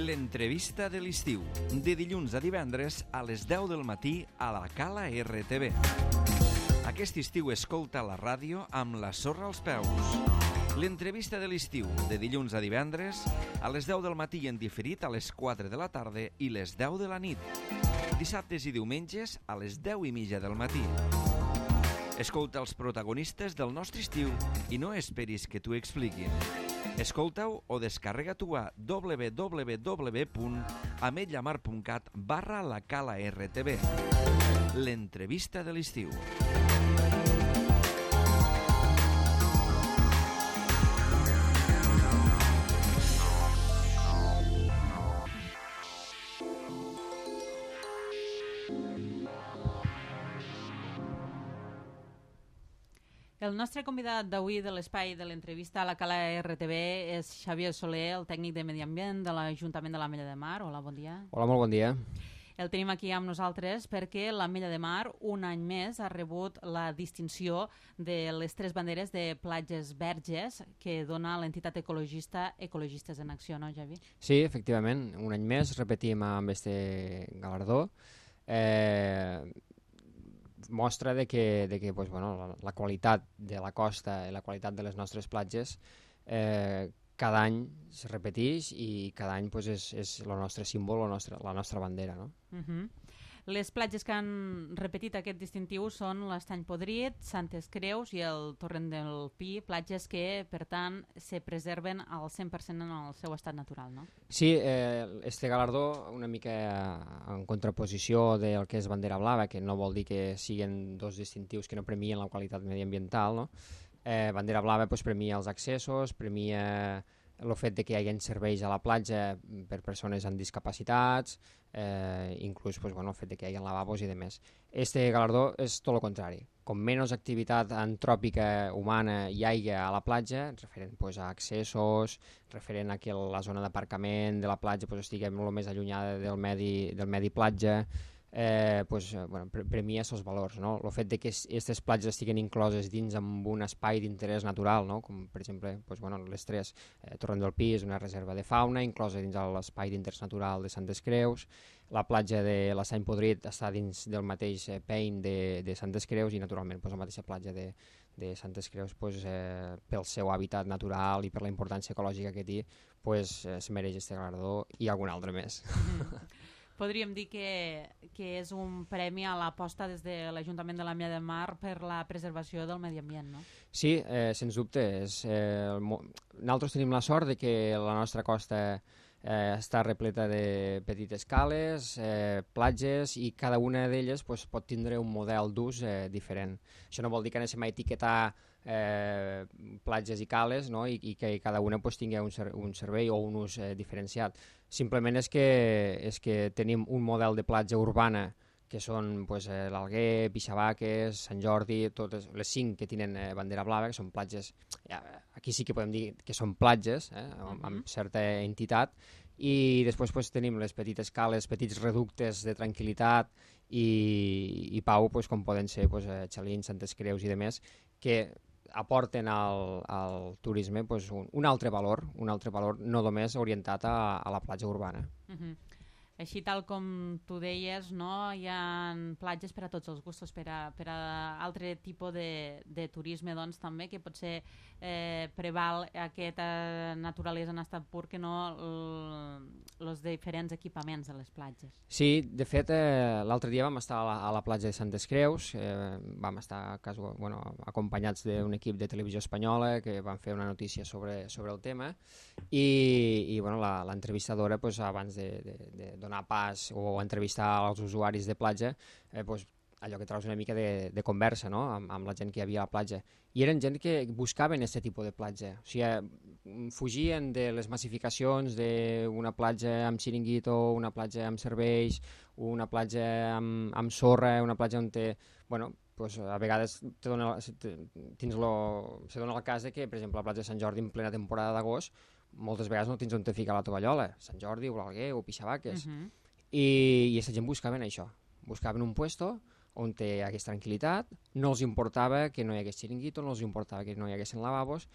L'entrevista de l'estiu, de dilluns a divendres a les 10 del matí a la Cala RTV. Aquest estiu escolta la ràdio amb la sorra als peus. L'entrevista de l'estiu, de dilluns a divendres a les 10 del matí i en diferit a les 4 de la tarda i les 10 de la nit. Dissabtes i diumenges a les 10:30 del matí. Escolta els protagonistes del nostre estiu i no esperis que t'ho expliquin. Escolta-ho o descarrega-t'ho a www.ametlllamar.cat/la Cala RTV. L'entrevista de l'estiu. El nostre convidat d'avui de l'espai de l'entrevista a la Cala RTV és Xavier Soler, el tècnic de Medi Ambient de l'Ajuntament de l'Ametlla de Mar. Hola, bon dia. Hola, molt bon dia. El tenim aquí amb nosaltres perquè l'Ametlla de Mar un any més ha rebut la distinció de les 3 banderes de platges verges que dona l'entitat ecologista Ecologistes en Acció, no, Javi? Sí, efectivament, un any més repetim amb este galardó. Mostra de que pues, bueno, la qualitat de la costa i la qualitat de les nostres platges cada any es repeteix i cada any pues, és el nostre símbol, la nostra bandera. No? Les platges que han repetit aquest distintiu són l'Estany Podrit, Santes Creus i el Torrent del Pi, platges que, per tant, se preserven al 100% en el seu estat natural, no? Sí, este galardó una mica en contraposició del que és bandera blava, que no vol dir que siguin dos distintius que no premien la qualitat mediambiental, no? Bandera blava pues, premia els accessos, premia el fet de que hi hagi serveis a la platja per persones amb discapacitats, inclús pues, bueno, el fet de que hi hagi lavabos i demés. Este galardó és tot el contrari. Com menys activitat antròpica humana hi hagi a la platja, referent pues, a accessos, referent a que la zona d'aparcament de la platja pues, estigui molt més allunyada del medi platja, bueno, premia aquests valors, no? El fet de que aquestes platges estiguin incloses dins amb un espai d'interès natural, no? Com per exemple pues, bueno, les 3, Torrent del Pi és una reserva de fauna inclosa dins l'espai d'interès natural de Santes Creus, la platja de l'Estany Podrit està dins del mateix pein de Santes Creus i naturalment pues, la mateixa platja de Santes Creus pues, pel seu hàbitat natural i per la importància ecològica que té pues, es mereix este galardó i algun altre més. Podríem dir que és un premi a l'aposta des de l'Ajuntament de l'Ametlla de Mar per la preservació del medi ambient, no? Sí, sens dubte. Nosaltres tenim la sort de que la nostra costa està repleta de petites cales, platges, i cada una d'elles pues, pot tindre un model d'ús diferent. Això no vol dir que anem a etiquetar platges i cales, no? I que cada una pues, tingui un servei o un ús diferenciat. Simplement és que tenim un model de platja urbana que són pues, l'Alguer, Pixabaques, Sant Jordi, totes les 5 que tenen bandera blava, que són platges, aquí sí que podem dir que són platges, amb certa entitat, i després pues, tenim les petites cales, petits reductes de tranquil·litat i pau, pues, com poden ser pues, Xalins, Santes Creus i demés, que aporten al turisme pues, un altre valor no només orientat a la platja urbana. Així tal com tu deies, no? Hi ha platges per a tots els gustos, per a altre tipus de turisme doncs, també, que potser preval aquesta naturalesa en estat pur que no els diferents equipaments de les platges. Sí, de fet, l'altre dia vam estar a la platja de Santes Creus, vam estar acompanyats d'un equip de televisió espanyola que van fer una notícia sobre el tema i l'entrevistadora, pues, abans de donar pas o entrevistar els usuaris de platja, allò que treus una mica de conversa, no? amb la gent que hi havia a la platja. I eren gent que buscaven aquest tipus de platja. O sigui, fugien de les massificacions d'una platja amb xiringuito, una platja amb serveis, una platja amb sorra, una platja on té... Bueno, pues, a vegades se dona el cas de que, per exemple, la platja de Sant Jordi en plena temporada d'agost, moltes vegades no tens on te ficar la tovallola, Sant Jordi o l'Alguer o Pixabaques. I aquesta gent buscaven això, buscaven un puesto on hi hagués tranquil·litat, no els importava que no hi hagués xiringuito, no els importava que no hi haguessin lavabos,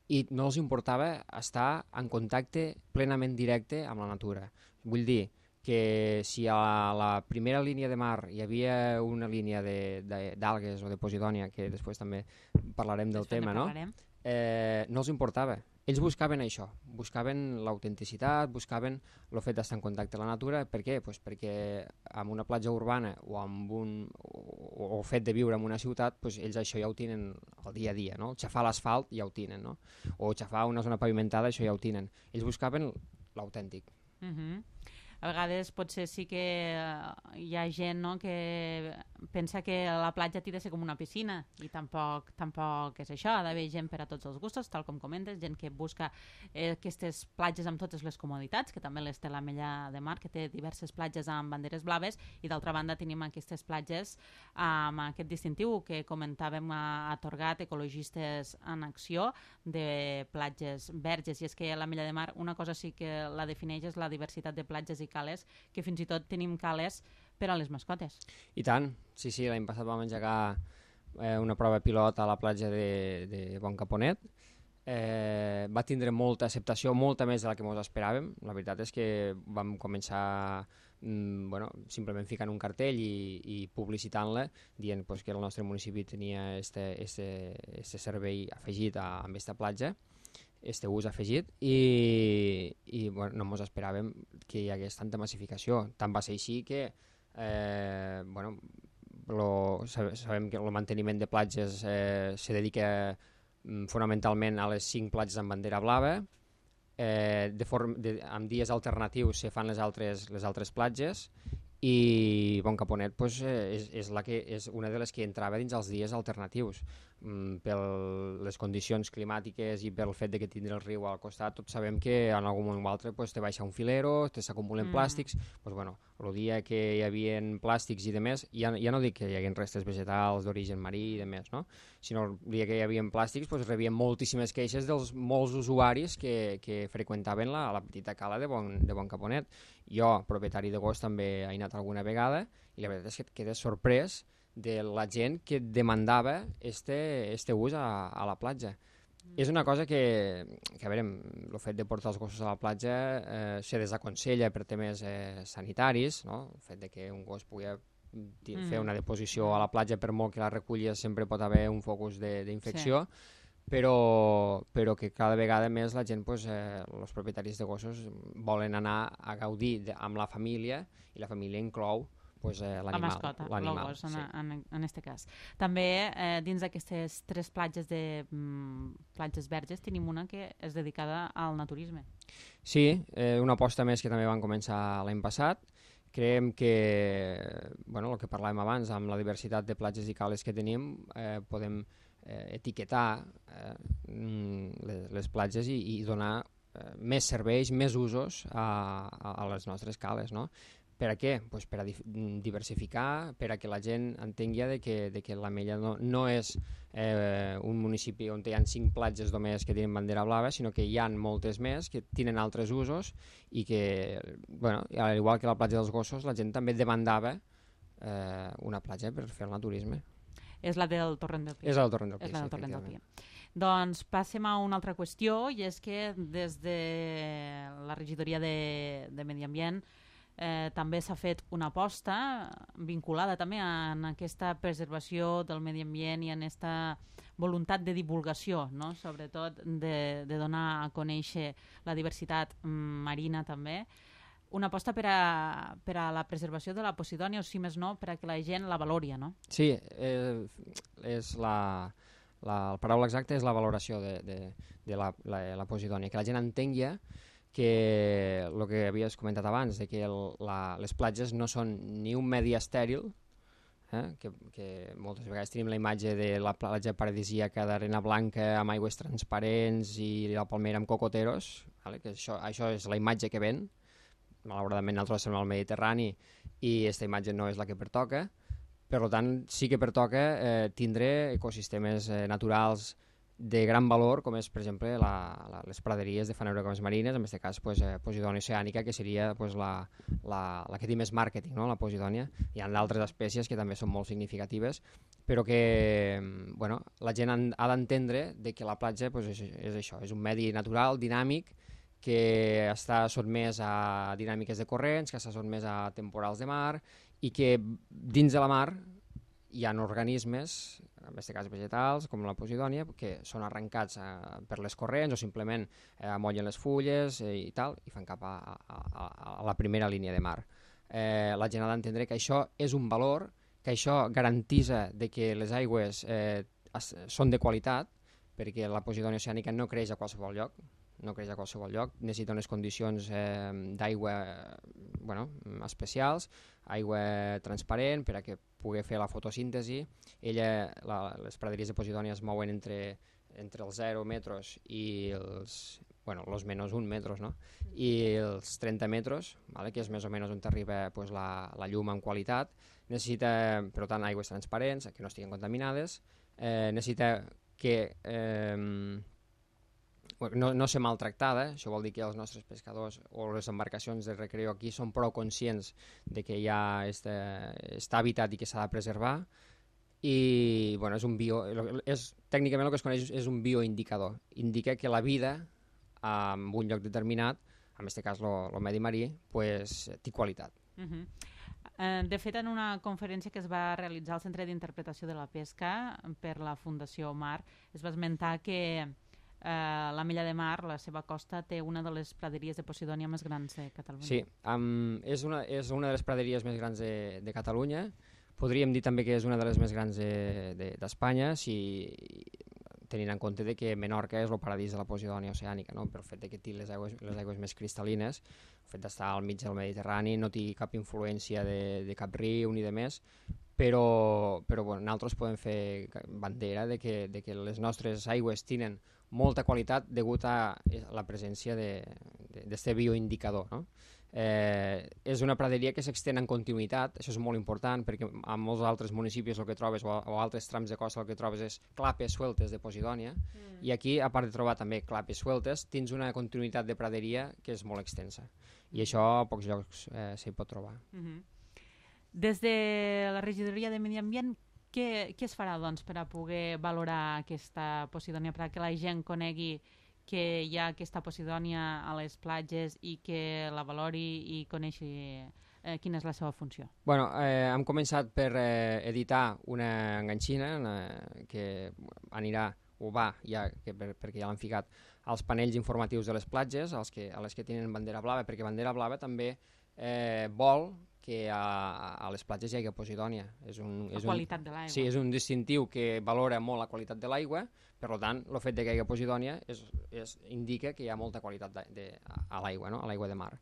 i no els importava estar en contacte plenament directe amb la natura. Vull dir que si a la primera línia de mar hi havia una línia d'algues o de posidònia, que després també parlarem del tema, no? No els importava. Ells buscaven això, buscaven l'autenticitat, buscaven el fet d'estar en contacte amb la natura. Per què? Pues perquè amb una platja urbana o el fet de viure en una ciutat, pues ells això ja ho tenen al dia a dia, no? Xafar l'asfalt ja ho tenen, no? O xafar una zona pavimentada, això ja ho tenen. Ells buscaven l'autèntic. A vegades potser sí que hi ha gent, no?, que pensa que la platja ha de ser com una piscina, i tampoc és això. Ha d'haver gent per a tots els gustos, tal com comentes, gent que busca aquestes platges amb totes les comoditats, que també les té l'Ametlla de Mar, que té diverses platges amb banderes blaves, i d'altra banda tenim aquestes platges amb aquest distintiu que comentàvem atorgat, Ecologistes en Acció, de platges verges. I és que l'Ametlla de Mar una cosa sí que la defineix és la diversitat de platges i cales, que fins i tot tenim cales per a les mascotes. I tant, sí, l'any passat vam engegar una prova pilot a la platja de Bon Caponet. Va tindre molta acceptació, molta més de la que ens esperàvem. La veritat és que vam començar simplement ficant un cartell i publicitant-la, dient que el nostre municipi tenia este servei afegit amb aquesta platja, este ús afegit, i no ens esperàvem que hi hagués tanta massificació. Tant va ser així que sabem que el manteniment de platges se dedica fonamentalment a les 5 platges amb bandera blava. Amb dies alternatius se fan les altres platges, i Bon Caponet és una de les que entrava dins els dies alternatius. Per les condicions climàtiques i pel fet que tindre el riu al costat, tots sabem que en algun moment o altre te baixa un filero, s'acumulen plàstics. El dia que hi havia plàstics i demés, ja no dic que hi haguin restes vegetals d'origen marí i demés, no? Sinó el dia que hi havia plàstics rebien moltíssimes queixes dels molts usuaris que freqüentaven la petita cala de Bon Caponet. Jo, propietari de gos, també he anat alguna vegada, i la veritat és que et quedes sorprès de la gent que demandava este ús a la platja. És una cosa que a veure, el fet de portar els gossos a la platja se desaconsella per temes sanitaris, no? El fet de que un gos pugui fer una deposició a la platja, per molt que la reculli, sempre pot haver un focus d'infecció, però que cada vegada més la gent, els propietaris de gossos, volen anar a gaudir amb la família, i la família inclou l'animal. La mascota, el gos, en aquest cas. També dins d'aquestes 3 platges platges verges tenim una que és dedicada al naturisme. Sí, una aposta més que també van començar l'any passat. Creiem que, el que parlàvem abans, amb la diversitat de platges i cales que tenim, podem etiquetar les platges i donar més serveis, més usos a les nostres cales, no? Per a què? Per a diversificar, per a que la gent entengui que l'Ametlla no és un municipi on hi ha 5 platges només que tenen bandera blava, sinó que hi ha moltes més que tenen altres usos, i que, al igual que la platja dels gossos, la gent també demandava una platja per fer el naturisme. És la del Torrent del Pi. És la del Torrent del Pi. Doncs passem a una altra qüestió, i és que des de la regidoria de Medi Ambient també s'ha fet una aposta vinculada també en aquesta preservació del medi ambient i en aquesta voluntat de divulgació, no? Sobretot de donar a conèixer la diversitat marina també. Una aposta per a la preservació de la posidònia, o si més no, per a que la gent la valori, no? Sí, la paraula exacta és la valoració de la posidònia, que la gent entengui que el que havies comentat abans, que les platges no són ni un medi estèril, que moltes vegades tenim la imatge de la platja paradisíaca d'arena blanca amb aigües transparents i la palmera amb cocoteros, que això és la imatge que ven. Malauradament nosaltres som al Mediterrani i aquesta imatge no és la que pertoca. Per tant, sí que pertoca tindre ecosistemes naturals de gran valor, com és, per exemple, les praderies de fanerocomes marines, en aquest cas Posidònia oceànica, que seria la que té més màrqueting, no? La Posidònia. Hi ha d'altres espècies que també són molt significatives, però que la gent ha d'entendre que la platja és això, és un medi natural, dinàmic, que està sotmès a dinàmiques de corrents, que està sotmès a temporals de mar, i que dins de la mar hi ha organismes, en aquest cas vegetals, com la Posidònia, que són arrencats per les corrents o simplement amollen les fulles i tal, i fan cap a la primera línia de mar. La gent ha d'entendre que això és un valor, que això garantitza que les aigües són de qualitat, perquè la Posidònia oceànica no creix a qualsevol lloc, necessita unes condicions d'aigua especials, aigua transparent per a que pugui fer la fotosíntesi. Les praderies de Posidònia es mouen entre els 0 metres i els menys 1 metres, no? I els 30 metres, que és més o menys on arriba la llum en qualitat. Necessita, per tant, aigües transparents, que no estiguin contaminades. Necessita que no ser maltractada. Això vol dir que els nostres pescadors o les embarcacions de recreo aquí són prou conscients de que hi ha aquest hàbitat i que s'ha de preservar. I tècnicament el que es coneix és un bioindicador. Indica que la vida en un lloc determinat, en aquest cas el medi marí, té qualitat. De fet, en una conferència que es va realitzar al Centre d'Interpretació de la Pesca per la Fundació Mar, es va esmentar que l'Ametlla de Mar, la seva costa, té una de les praderies de Posidònia més grans de Catalunya. Sí, és una de les praderies més grans de Catalunya. Podríem dir també que és una de les més grans d'Espanya, tenint en compte que Menorca és el paradís de la Posidònia oceànica, no? Pel fet que té les aigües més cristal·lines, el fet d'estar al mig del Mediterrani, no té cap influència de cap riu ni de més, però nosaltres podem fer bandera de que les nostres aigües tenen molta qualitat degut a la presència d'aquest bioindicador, no? És una praderia que s'extén en continuïtat, això és molt important perquè en molts altres municipis el que trobes o altres trams de costa el que trobes és clapes sueltes de Posidònia i aquí, a part de trobar també clapes sueltes, tens una continuïtat de praderia que és molt extensa i això a pocs llocs s'hi pot trobar. Des de la regidoria de Medi Ambient, què es farà per a poder valorar aquesta Posidònia, perquè la gent conegui que hi ha aquesta Posidònia a les platges i que la valori i coneixi quina és la seva funció? Hem començat per editar una enganxina que anirà, perquè ja l'han ficat, als panells informatius de les platges, a les que tenen bandera blava, perquè bandera blava també vol que a les platges hi hagi Posidònia. La qualitat de l'aigua. Sí, és un distintiu que valora molt la qualitat de l'aigua, per tant, el fet que hi hagi Posidònia indica que hi ha molta qualitat a l'aigua, no? A l'aigua de mar.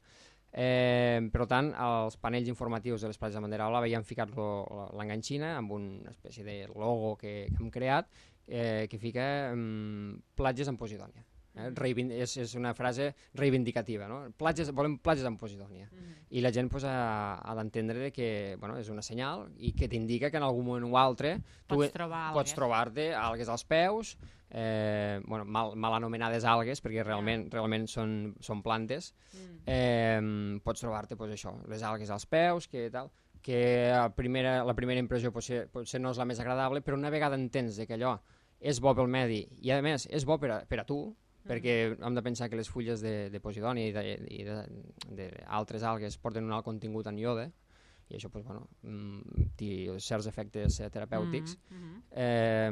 Per tant, als panells informatius de les platges de bandera blava hi han ficat l'enganxina amb una espècie de logo que hem creat que fica platges amb Posidònia. És una frase reivindicativa, no? Volem platges amb Posidònia i la gent ha d'entendre que és una senyal i que t'indica que en algun moment o altre pots trobar-te algues als peus, mal anomenades algues perquè realment són plantes, pots trobar-te les algues als peus, que la primera impressió potser no és la més agradable, però una vegada entens que allò és bo pel medi i a més és bo per a tu, perquè hem de pensar que les fulles de Posidònia i d'altres algues porten un alt contingut en iode i això té certs efectes terapèutics, la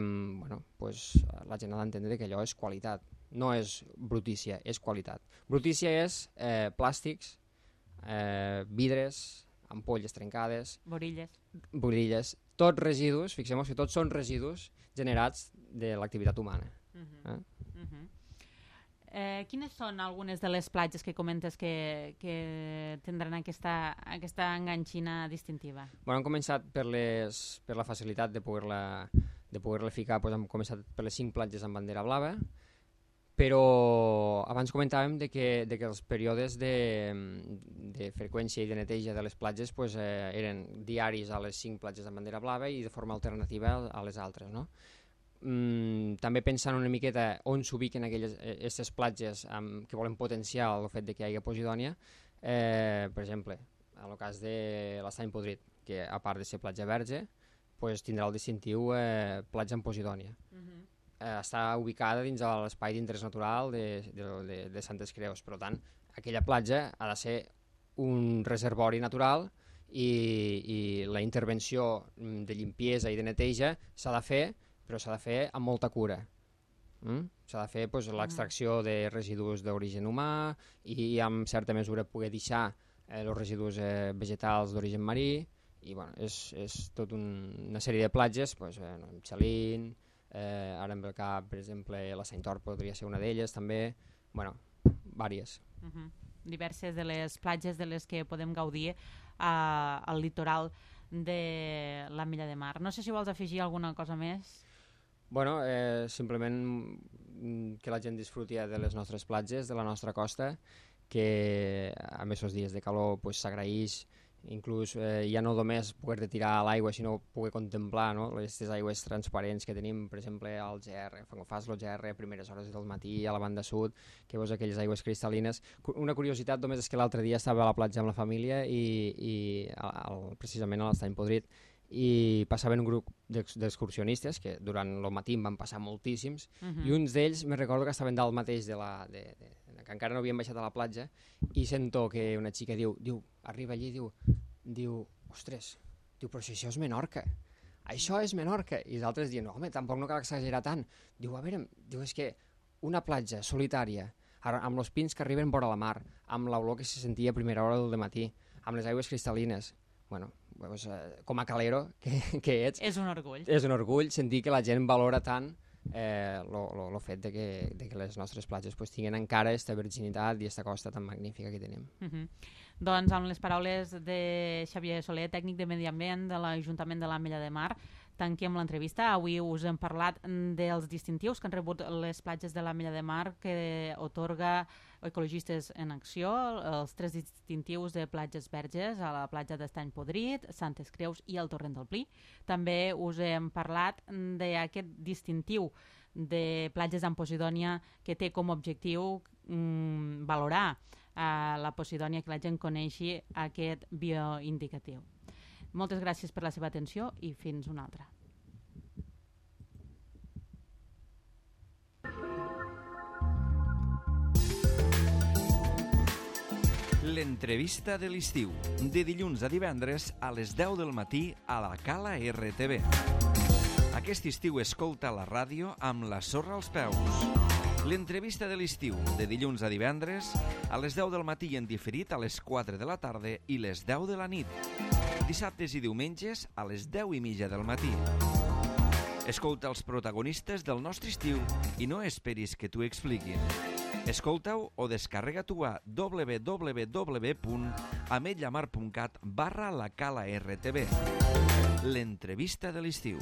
gent ha d'entendre que allò és qualitat, no és brutícia, és qualitat. Brutícia és plàstics, vidres, ampolles trencades, borilles, tots residus, fixem-nos que tots són residus generats de l'activitat humana. Quines són algunes de les platges que comentes que tindran aquesta enganxina distintiva? Hem començat per la facilitat de poder-la ficar, hem començat per les 5 platges amb bandera blava, però abans comentàvem que els períodes de freqüència i de neteja de les platges eren diaris a les 5 platges amb bandera blava i de forma alternativa a les altres, no? també pensant una miqueta on s'ubiquen aquestes platges que volen potenciar el fet de que hi hagi Posidònia, per exemple, en el cas de l'Estany Podrit, que a part de ser platja verge, pues, tindrà el distintiu platja en Posidònia. Està ubicada dins de l'espai d'interès natural de Santes Creus, per tant, aquella platja ha de ser un reservori natural i la intervenció de limpiesa i de neteja s'ha de fer, però s'ha de fer amb molta cura. S'ha de fer l'extracció de residus d'origen humà i en certa mesura poder deixar els residus vegetals d'origen marí, i bueno, és tota una sèrie de platges, Xalín, ara em ve al cap, per exemple, la Saint-Or podria ser una d'elles també, bueno, vàries. Diverses de les platges de les que podem gaudir al litoral de l'Ametlla de Mar. No sé si vols afegir alguna cosa més. Bueno, simplement que la gent disfruti de les nostres platges, de la nostra costa, que a més els dies de calor s'agraeix, inclús ja no només poder tirar a l'aigua, sinó poder contemplar aquestes aigües transparents que tenim, per exemple, al GR, quan fas el GR a primeres hores del matí, a la banda sud, que veus aquelles aigües cristal·lines. Una curiositat només és que l'altre dia estava a la platja amb la família i precisament a l'Estany Podrit, i passaven un grup d'excursionistes, que durant el matí en van passar moltíssims, i uns d'ells me recordo que estaven dalt mateix que encara no havien baixat a la platja, i sento que una xica diu, arriba allí i diu, ostres, però si això és Menorca, això és Menorca, i els altres diuen, no, home, tampoc no cal exagerar tant. Diu, a veure, és que una platja solitària, amb els pins que arriben vora la mar, amb l'olor que se sentia a primera hora del matí, amb les aigües cristal·lines, bueno, com a calero que ets... És un orgull. És un orgull sentir que la gent valora tant el fet de que les nostres platges tinguin encara aquesta virginitat i aquesta costa tan magnífica que tenim. Doncs amb les paraules de Xavier Soler, tècnic de Medi Ambient de l'Ajuntament de l'Ametlla de Mar, tanquem l'entrevista. Avui us hem parlat dels distintius que han rebut les platges de l'Ametlla de Mar, que otorga Ecologistes en Acció, els 3 distintius de platges verges a la platja d'Estany Podrit, Santes Creus i el Torrent del Pli. També us hem parlat d'aquest distintiu de platges en Posidònia que té com a objectiu valorar la Posidònia, que la gent coneixi aquest bioindicatiu. Moltes gràcies per la seva atenció i fins una altra. L'entrevista de l'estiu, de dilluns a divendres a les 10 del matí a la Cala RTV. Aquest estiu escolta la ràdio amb la sorra als peus. L'entrevista de l'estiu, de dilluns a divendres a les 10 del matí en diferit a les 4 de la tarda i les 10 de la nit. Dissabtes i diumenges a les 10:30 del matí. Escolta els protagonistes del nostre estiu i no esperis que t'ho expliquin. Escolta-ho o descarrega-t'ho a www.ametlamar.cat/la Cala RTV. L'entrevista de l'estiu.